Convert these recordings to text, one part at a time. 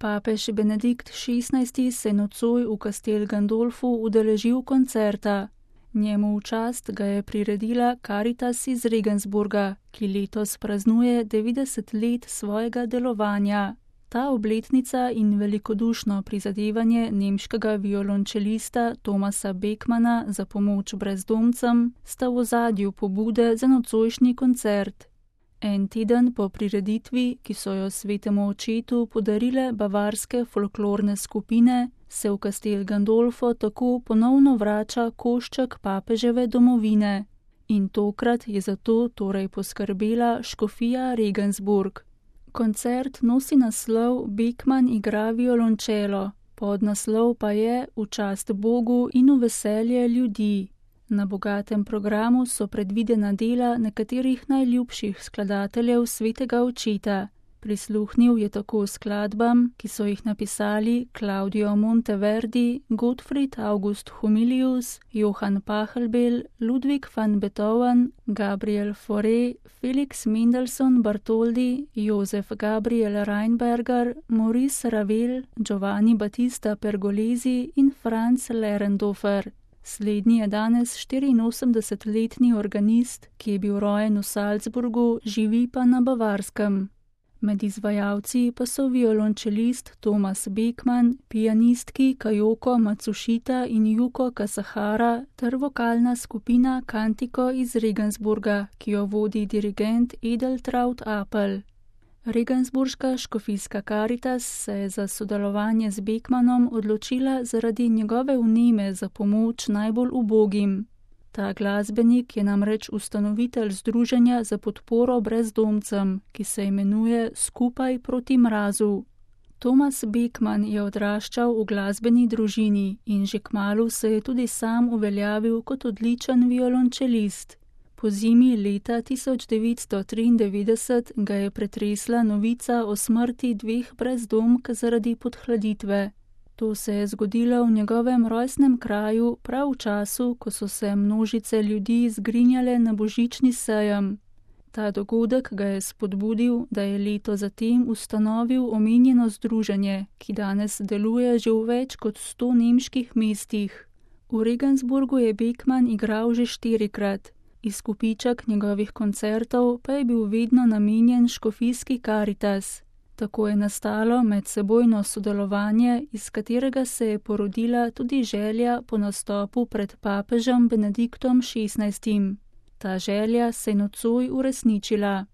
Papež Benedikt XVI se nocoj v Castel Gandolfu udeležil koncerta. Njemu v čast ga je priredila Caritas iz Regensburga, ki letos praznuje 90 let svojega delovanja. Ta obletnica in velikodušno prizadevanje nemškega violončelista Thomasa Beckmanna za pomoč brezdomcem sta v ozadju pobude za nocojšnji koncert. En teden po prireditvi, ki so jo svetemu očetu podarile bavarske folklorne skupine, se v Castel Gandolfo tako ponovno vrača košček papeževe domovine. In tokrat je za to torej poskrbela škofija Regensburg. Koncert nosi naslov Beckmann igra violončelo, podnaslov pa je V čast Bogu in v veselje ljudi. Na bogatem programu so predvidena dela nekaterih najljubših skladateljev svetega očeta. Prisluhnil je tako skladbam, ki so jih napisali Claudio Monteverdi, Gottfried August Humilius, Johann Pachelbel, Ludwig van Beethoven, Gabriel Fauré, Felix Mendelssohn Bartholdy, Josef Gabriel Rheinberger, Maurice Ravel, Giovanni Battista Pergolesi in Franz Lerendorfer. Slednji je danes 84-letni organist, ki je bil rojen v Salzburgu, živi pa na Bavarskem. Med izvajalci pa so violončelist Thomas Beckmann, pianistki Kajoko Matsushita in Yuko Kasahara ter vokalna skupina Cantico iz Regensburga, ki jo vodi dirigent Edeltraud Apel. Regensburška škofijska Caritas se je za sodelovanje z Beckmannom odločila zaradi njegove vneme za pomoč najbolj ubogim. Ta glasbenik je namreč ustanovitelj združenja za podporo brezdomcem, ki se imenuje Skupaj proti mrazu. Thomas Beckmann je odraščal v glasbeni družini in že kmalu se je tudi sam uveljavil kot odličen violončelist. Po zimi leta 1993 ga je pretresla novica o smrti dveh brezdomk zaradi podhladitve. To se je zgodilo v njegovem rojstnem kraju prav v času, ko so se množice ljudi zgrinjale na božični sejem. Ta dogodek ga je spodbudil, da je leto zatem ustanovil omenjeno združenje, ki danes deluje že v več kot 100 nemških mestih. V Regensburgu je Beckmann igral že 4-krat. Izkupiček njegovih koncertov pa je bil vedno namenjen škofijski Caritas. Tako je nastalo medsebojno sodelovanje, iz katerega se je porodila tudi želja po nastopu pred papežem Benediktom XVI. Ta želja se je nocoj uresničila.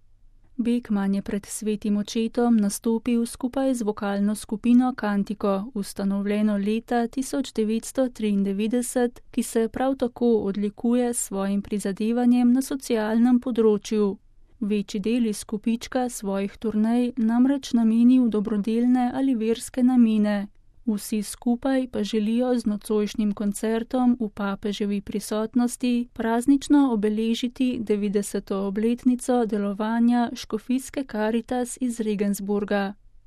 Beckmann je pred svetim očetom nastopil skupaj z vokalno skupino Cantico, ustanovljeno leta 1993, ki se prav tako odlikuje s svojim prizadevanjem na socialnem področju. Večji del izkupička svojih turnej namreč nameni v dobrodelne ali verske namene. Vsi skupaj pa želijo z nocojšnjim koncertom v papeževi prisotnosti praznično obeležiti 90. obletnico delovanja škofijske Caritas iz Regensburga.